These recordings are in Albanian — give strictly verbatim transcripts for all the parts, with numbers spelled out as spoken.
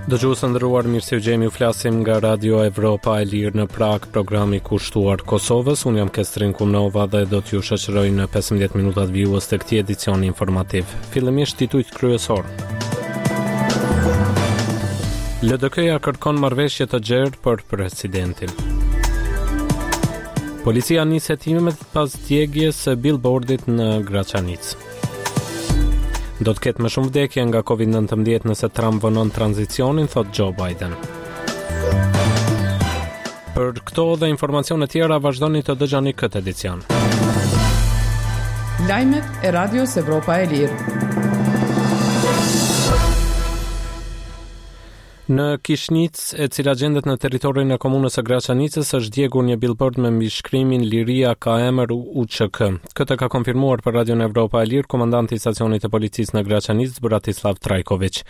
Dëgjues të nderuar, mirë se ju gjejmë, ju flasim nga Radio Evropa e Lirë në Prag, programi kushtuar Kosovës. Unë jam Kestrin Kumnova dhe do t'ju shoqëroj në pesëmbëdhjetë minutat vijues të këtij edicioni informativ. Fillimisht titujt kryesor. L D K-ja kërkon marrëveshje të gjerë për presidentin. Policia nis hetimet pas djegjes së billboardit në Graçanicë. Do të ketë më shumë vdekje nga Covid nëntëmbëdhjetë nëse Trump vonon tranzicionin, thot Joe Biden. Për këto dhe informacione tjera vazhdoni të dëgjoni këtë edicion. Lajmet e Radios Evropa e Lirë. Në Kishnicë, e cila gjendet në territorin e komunës së Graçanicës, është djegur një billboard me mbishkrimin "Liria ka emër U Ç K". Këtë ka konfirmuar për Radion Evropa e Lirë komandanti i stacionit të policisë në Graçanicë, Bratislav Trajković.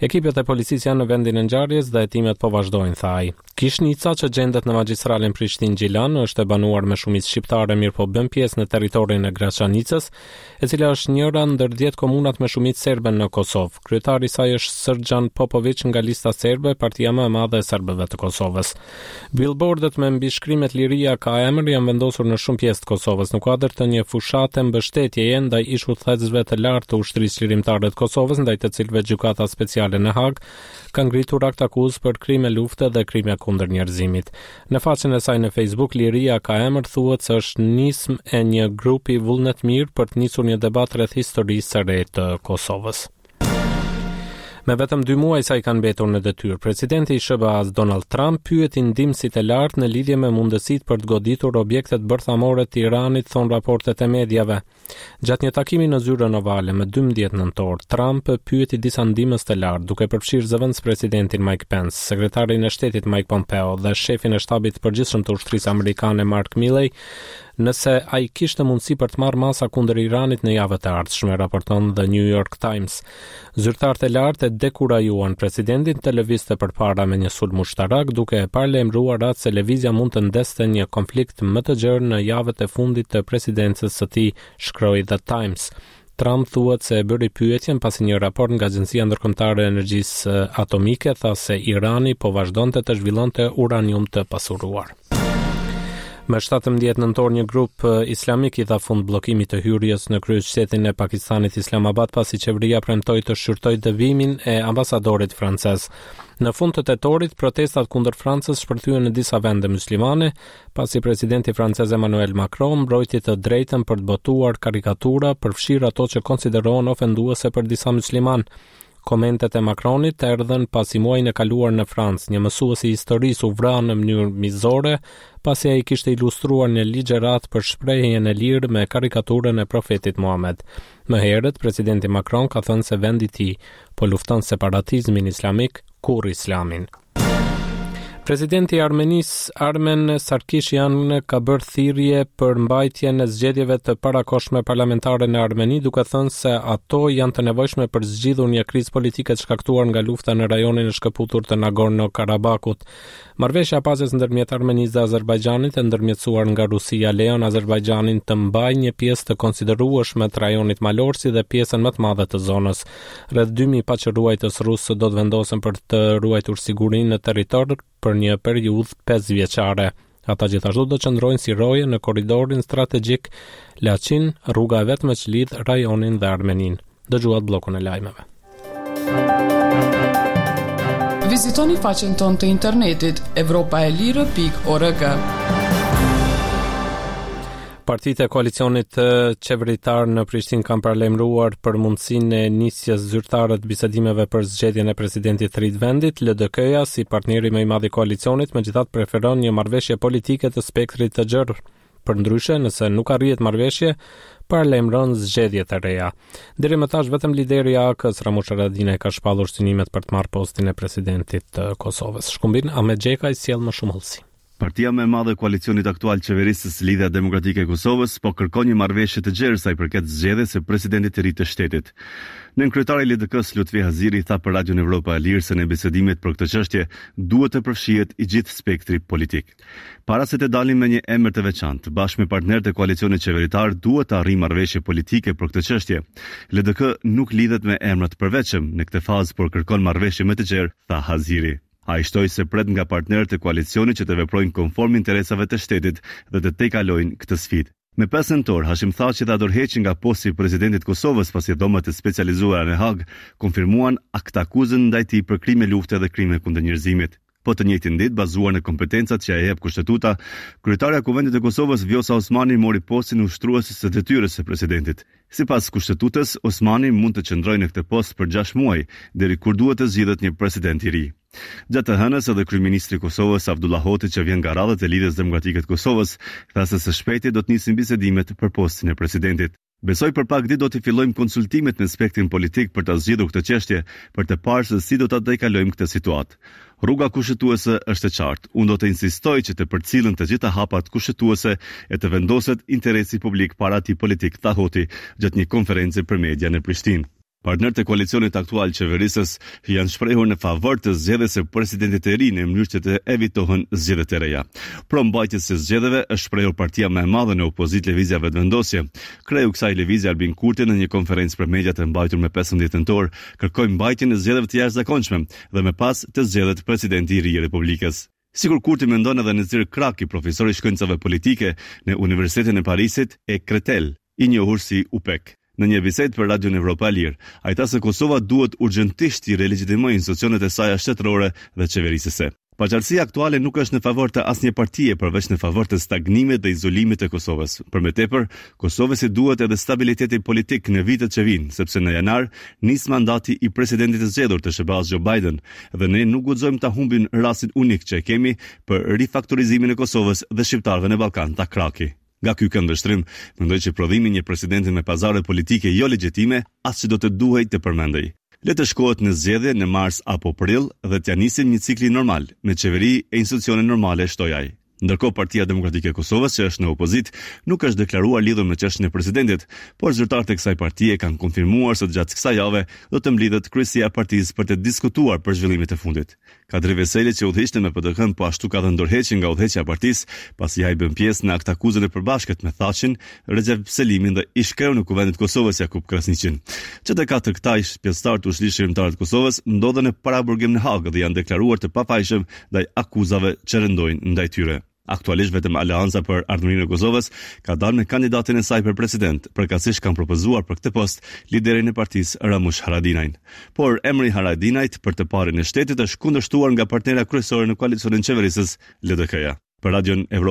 Ekipet e policisë janë në vendin e ngjarjes dhe hetimet po vazhdojnë, tha ai. Kishnica, që gjendet në magjistralen Prishtinë-Gjilan, është e banuar me shumicë shqiptare, mirëpo bën pjesë në territorin e Graçanicës, e cila është njëra ndër dhjetë komunat me shumicë serbe në Kosovë. Kryetari i saj është Sërgjan Popović nga Lista Serbe, partia më e madhe e serbëve të Kosovës. Billboardet me mbishkrimet "Liria ka emër" janë vendosur në shumë pjesë të Kosovës në kuadër të një fushate mbështetjeje ndaj ish udhëheqësve të lartë të Ushtrisë Çlirimtare të Kosovës, ndaj të cilëve Gjykata Speciale në Hagë ka ngritur akt akuzë për krime lufte dhe krime kundër njerëzimit. Në faqen e saj në Facebook, "Liria ka emër" thuhet se është nismë e një grupi vullnetmirë për të nisur një debat rreth historisë së re të Kosovës. Me vetëm dy muaj sa i kanë mbetur në detyrë, presidenti i S H B A-s Donald Trump pyeti ndihmësit e lartë në lidhje me mundësitë për të goditur objektet bërthamore të Iranit, thon raportet e mediave. Gjatë një takimi në zyrën ovale më dymbëdhjetë nëntor, Trump pyeti disa ndihmës të lartë, duke përfshirë zëvendës presidentin Mike Pence, sekretarin e shtetit Mike Pompeo dhe shefin e shtabit të përgjithshëm të ushtrisë amerikane Mark Milley, nëse ai kishte mundësi për të marrë masa kundër Iranit në javët e ardhshme, raporton The New York Times. Zyrtarët e lartë e dekurajuan presidentin të lëvizte përpara me një sulm ushtarak, duke e paralajmëruar atë se lëvizja mund të ndeste një konflikt më të gjerë në javët e fundit të presidencës së tij, shkroi The Times. Trump thuhet se e bëri pyetjen pasi një raport nga Agjencia Ndërkombëtare e Energjisë Atomike tha se Irani po vazhdonte të zhvillonte uranium të pasuruar. Më shtatëmbëdhjetë nëntor, një grup islamik i dha fund bllokimit të hyrjes në kryeqytetin e Pakistanit, Islamabad, pasi qeveria premtoi të shqyrtojë dëbimin e ambasadorit francez. Në fund të tetorit, protestat kundër Francës shpërthyen në disa vende muslimane, pasi presidenti francez Emmanuel Macron mbrojti të drejtën për të botuar karikatura, përfshirë ato që konsiderohen ofenduese për disa musliman. Komentet e Macronit erdhën pasi muajin e kaluar në Francë, një mësues i historisë u vra në mënyrë mizore, pasi ai kishte ilustruar një ligjëratë për shprehjen e lirë me karikaturën e profetit Muhamed. Më herët, presidenti Macron ka thënë se vendi i tij po lufton separatizmin islamik, kurrë islamin. Presidenti i Armenisë Armen Sarkisyan ka bërë thirrje për mbajtjen e zgjedhjeve të parakohshme parlamentare në Armeni, duke thënë se ato janë të nevojshme për zgjidhur një krizë politike të shkaktuar nga lufta në rajonin e shkëputur të Nagorno-Karabakut. Marrëveshja e paqes ndërmjet Armenisë dhe Azerbajxhanit, e ndërmjetësuar nga Rusia, lejon Azerbajxhanin të mbajë një pjesë të konsiderueshme të rajonit malor, si dhe pjesën më të madhe të zonës. Rreth dy mijë paqeruajtës rusë do të vendosen për të ruajtur sigurinë në territor për një periudhë pesë vjeçare. Ata gjithashtu do të qëndrojnë si roje në korridorin strategjik Lachin, rruga e vetme që lidh rajonin dhe Armeninë. Dëgjuat bllokun e lajmeve. Vizitoni faqen tonë të internetit evropaelire pikë org. Partitë e koalicionit qeveritar në Prishtinë kanë paralajmëruar për mundësinë e nisjes zyrtare të bisedimeve për zgjedhjen e presidentit të ri të vendit. L D K-ja, si partneri më i madh i koalicionit, megjithatë preferon një marrëveshje politike të spektrit të gjerë. Përndryshe, nëse nuk arrihet marrëveshje, paralajmëron zgjedhje të reja. Deri më tash vetëm lideri i A A K-s Ramush Haradinaj ka shpallur synimet për të marrë postin e presidentit të Kosovës. Shkumbin Ahmet Gjekaj sjell më shumë hollësi. Partia më e madhe e koalicionit aktual qeverisës, Lidhja Demokratike e Kosovës, po kërkon një marrëveshje të gjerë sa i përket zgjedhjes së presidentit të ri të shtetit. Nënkryetari i L D K-s, Lutfi Haziri, tha për Radion Evropa e Lirë se në bisedimet për këtë çështje duhet të përfshihet i gjithë spektri politik. Para se të dalim me një emër të veçantë, bashkë me partnerët e koalicionit qeveritar duhet të arrijmë marrëveshje politike për këtë çështje. L D K nuk lidhet me emra të përveçëm në këtë fazë, por kërkon marrëveshje më të gjerë, tha Haziri. Ai shtoi se pret nga partnerët e koalicionit që të veprojnë konform interesave të shtetit dhe të tejkalojnë këtë sfidë. Me pesë nëntor, Hashim Thaçi dha dorëheqjen nga posti i presidentit të Kosovës pasi dhomat e specializuara në Hagë konfirmuan aktakuzën ndaj tij për krime lufte dhe krime kundër njerëzimit. Po të njëjtin ditë, bazuar në kompetencat që ia jep kushtetuta, kryetarja e Kuvendit të Kosovës, Vjosa Osmani, mori postin ushtruese të detyrës së presidentit. Sipas kushtetutës, Osmani mund të qëndrojë në këtë post për gjashtë muaj, deri kur duhet të zgjidhet një president i ri. Gjatë të hënës, edhe kryeministri i Kosovës, Avdullah Hoti, që vjen nga radhët e Lidhjes Demokratike të Kosovës, tha se së shpejti do të nisin bisedimet për postin e presidentit. Besoj për pak ditë do të fillojmë konsultimet me spektrin politik për ta zgjidhur këtë çështje, për të parë se si do ta tejkalojmë këtë situatë. Rruga kushtetuese është e qartë. Unë do të insistoj që të përcillen të gjitha hapat kushtetuese e të vendoset interesi publik para atij politik, tha Hoti gjatë një konference për media në Prishtinë. Partnerët e koalicionit aktual qeverisës janë shprehur në favor të zgjedhjes së presidentit të ri në mënyrë që të evitohen zgjedhjet e reja. Pro mbajtjes së zgjedhjeve është shprehur partia më e madhe në opozitë, Lëvizja Vetëvendosje. Kreu i kësaj lëvizje, Albin Kurti, në një konferencë për mediat e mbajtur me pesëmbëdhjetë nëntor, kërkoi mbajtjen e zgjedhjeve të jashtëzakonshme dhe më pas të zgjedhet presidenti i ri i Republikës. Sikur Kurti mendon edhe Nezir Kraki, profesor i shkencave politike në Universitetin e Parisit e Créteil, i njohur si U P E K. Në një bisedë për Radion Evropa e Lirë, ai tha se Kosova duhet urgjentisht të rilegjitimojë institucionet e saja shtetërore dhe qeverisëse. Paqartësia aktuale nuk është në favor të asnjë partie, përveç në favor të stagnimit dhe izolimit të Kosovës. Për më tepër, Kosovës i duhet edhe stabiliteti politik në vitet që vijnë, sepse në janar nis mandati i presidentit të zgjedhur të S H B A-s, Joe Biden, dhe ne nuk guxojmë ta humbim rastin unik që e kemi për rifaktorizimin e Kosovës dhe shqiptarëve në Ballkan, tha Kraki. Nga ky këndvështrim, mendoj që prodhimi i një presidenti me pazare politike jo legjitime as që do të duhej të përmendej. Le të shkohet në zgjedhje në mars apo prill dhe t'ja nisim një cikli normal me qeveri e institucione normale, shtoi ai. Ndërkohë, Partia Demokratike e Kosovës, që është në opozitë, nuk është deklaruar lidhur me çështjen e presidentit, por zyrtarët e kësaj partie kanë konfirmuar se gjatë kësaj jave do të mblidhet kryesia e partisë për të diskutuar për zhvillimet e fundit. Kadri Veseli, që udhëhiqte me P D K-n, po ashtu ka dhënë dorëheqjen nga udhëheqja e partisë, pasi ai bën pjesë në aktakuzën e përbashkët me Thaçin, Rexhep Selimin dhe ish-kreun e Kuvendit të Kosovës, Jakup Krasniqin. Që të katër këta ish pjesëtarë të Ushtrisë Çlirimtare të Kosovës ndodhen në paraburgim në Hagë dhe janë deklaruar të pafajshëm ndaj akuzave që rëndojnë ndaj tyre. Aktualisht vetëm Aleanca për Ardhmërinë e Kosovës ka dalë me kandidatin e saj për president, përkatësisht kanë propozuar për këtë post liderin e partisë, Ramush Haradinajn. Por emri i Haradinajt për të parin e shtetit është kundërshtuar nga partnera kryesore në koalicionin qeverisës, L D K-ja. Për Radion Evropa